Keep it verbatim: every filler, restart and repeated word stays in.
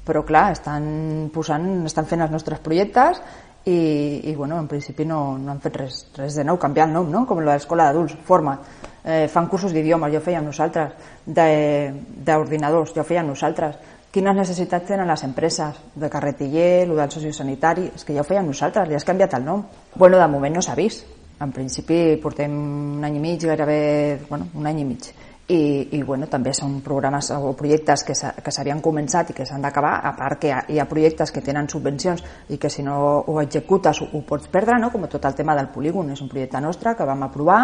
però clar, estan posant, estan fent els nostres projectes i, i bueno, en principi no, no han fet res, res de nou, canviar el nom, no? Com l'escola d'adults, forma, eh, fan cursos d'idiomes, ja ho fèiem nosaltres, d'ordinadors, ja ho fèiem nosaltres. Quines necessitats tenen les empreses de carretiller, el del sociosanitari, és que ja ho fèiem nosaltres, li has canviat el nom. Bueno, de moment no s'ha vist, en principi portem un any i mig, gairebé, bueno, un any i mig. I, i bueno, també són programes o projectes que s'havien començat i que s'han d'acabar, a part que hi ha projectes que tenen subvencions i que si no ho executes ho, ho pots perdre, no? Com tot el tema del polígon, és un projecte nostre que vam aprovar